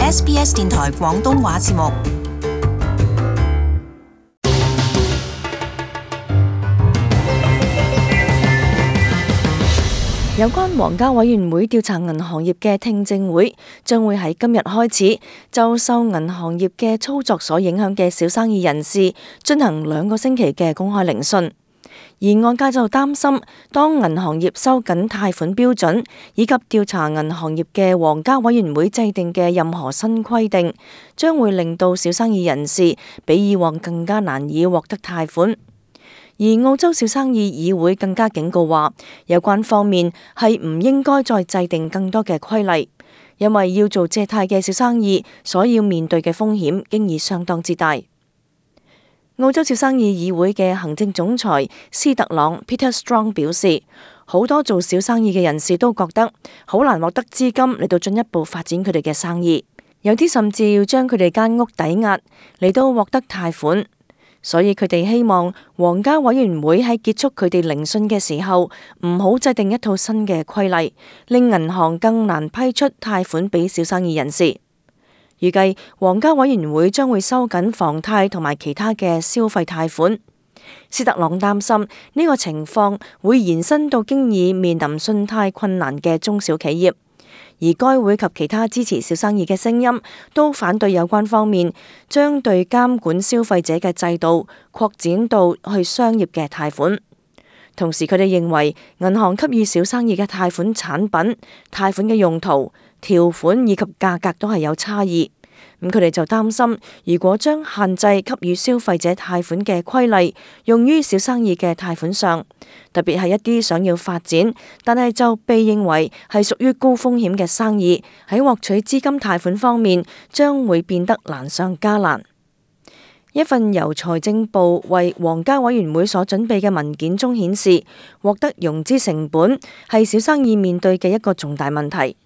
SBS 電台廣東話節目。有關皇家委員會調查銀行業嘅聽證會將會喺今日開始，就受銀行業嘅操作所影響嘅小生意人士進行2個星期嘅公開聆訊。而外界就擔心，當銀行業收緊貸款標準以及調查銀行業嘅皇家委員會制定嘅任何新規定，將會令到小生意人士比以往更加難以獲得貸款。而澳洲小生意議會更加警告話，有關方面係唔應該再制定更多嘅規例，因為要做借貸嘅小生意所要面對嘅風險經已相當之大。澳洲小生意議會嘅行政總裁斯特朗 Peter Strong 表示，好多做小生意嘅人士都覺得好難獲得資金嚟到進一步發展佢哋嘅生意，有啲甚至要將佢哋間屋抵押嚟到獲得貸款。所以佢哋希望皇家委員會喺結束佢哋聆訊嘅時候，唔好制定一套新嘅規例，令銀行更難批出貸款俾小生意人士。預計皇家委員會將會收緊房貸同埋其他嘅消費貸款。斯特朗擔心呢個情況會延伸到經已面臨信貸困難嘅中小企業。而該會及其他支持小生意嘅聲音都反對有關方面將對監管消費者嘅制度擴展到去商業嘅貸款。同時佢哋認為銀行給予小生意嘅貸款產品、貸款嘅用途、條款以及價格都係有差異。咁佢哋就擔心，如果將限制給予消費者貸款嘅規例用於小生意嘅貸款上，特別係一啲想要發展但係就被認為係屬於高風險嘅生意，喺獲取資金貸款方面將會變得難上加難。一份由財政部為皇家委員會所準備嘅文件中顯示，獲得融資成本係小生意面對嘅一個重大問題。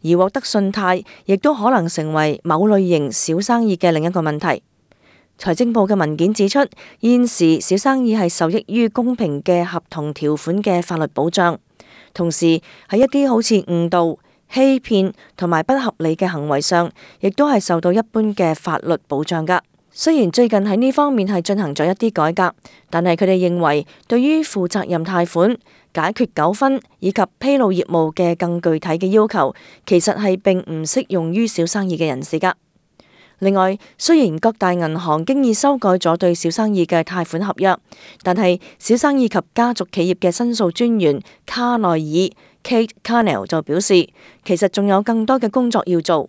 而獲得信貸亦都可能成為某類型小生意嘅另一個問題。財政部嘅文件指出，現時小生意係受益於公平嘅合同條款嘅法律保障，同時喺一啲好似誤導、欺騙同埋不合理嘅行為上，亦都係受到一般嘅法律保障㗎。雖然最近喺呢方面係進行咗一啲改革，但係佢哋認為對於負責任貸款、解決糾紛以及披露業務嘅更具體嘅要求，其實係並唔適用於小生意嘅人士㗎。另外，雖然各大銀行經已修改咗對小生意嘅貸款合約，但係小生意及家族企業嘅申訴專員卡內爾 Kate Carnell 就表示，其實仲有更多嘅工作要做。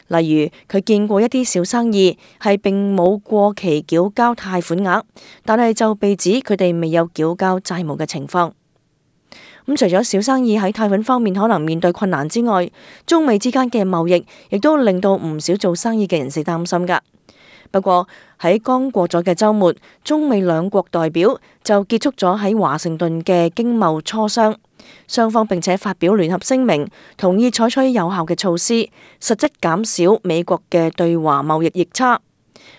例如，佢見過一啲小生意係並冇過期繳交貸款額，但係就被指佢哋未有繳交債務嘅情況。咁除咗小生意喺貸款方面可能面對困難之外，中美之間嘅貿易亦都令到唔少做生意嘅人士擔心㗎。不過喺剛過咗嘅週末，中美兩國代表就結束咗喺華盛頓嘅經貿磋商，雙方並且發表聯合聲明，同意採取有效嘅措施，實質減少美國嘅對華貿易逆差。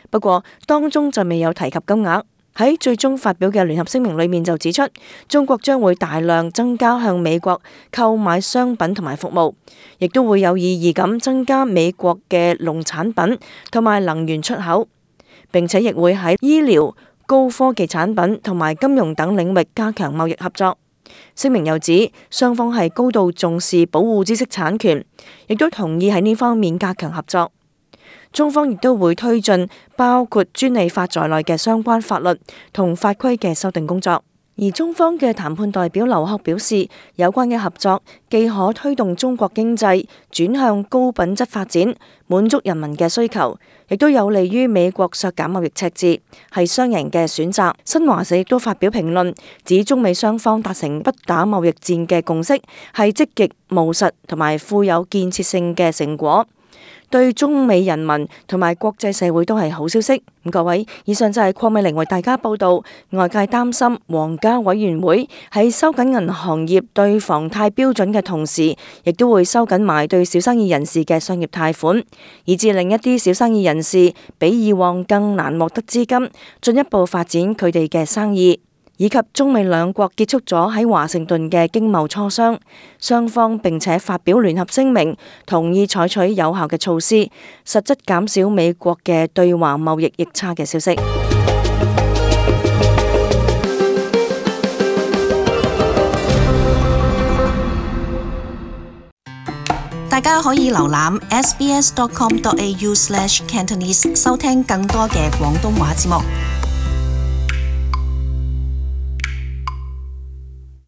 不過當中就未有提及金額。喺最終發表嘅聯合聲明裏面就指出，中國將會大量增加向美國購買商品同埋服務，亦都會有意義咁增加美國嘅農產品同埋能源出口，並且亦會喺醫療、高科技產品同埋金融等領域加強貿易合作。聲明又指，雙方係高度重視保護知識產權，亦都同意喺呢方面加強合作。中方亦都會推進包括專利法在內嘅相關法律同法規嘅修訂工作。而中方嘅談判代表劉鶴表示，有關嘅合作既可推動中國經濟轉向高品質發展，滿足人民嘅需求，亦都有利於美國削減貿易赤字，係雙贏嘅選擇。新華社亦都發表評論，指中美雙方達成不打貿易戰嘅共識，係積極務實同埋富有建設性嘅成果，對中美人民同埋國際社會都係好消息。各位，以上就係鄺美玲為大家報道。外界擔心皇家委員會喺收緊銀行業對房貸標準嘅同時，亦都會收緊埋對小生意人士嘅商業貸款，以致令一啲小生意人士比以往更難獲得資金，進一步發展佢哋嘅生意。以及中美兩國結束咗喺華盛頓嘅經貿磋商，雙方並且發表聯合聲明，同意採取有效嘅措施，實質減少美國嘅對華貿易逆差嘅消息。大家可以瀏覽 sbs.com.au/Cantonese 收聽更多嘅廣東話節目。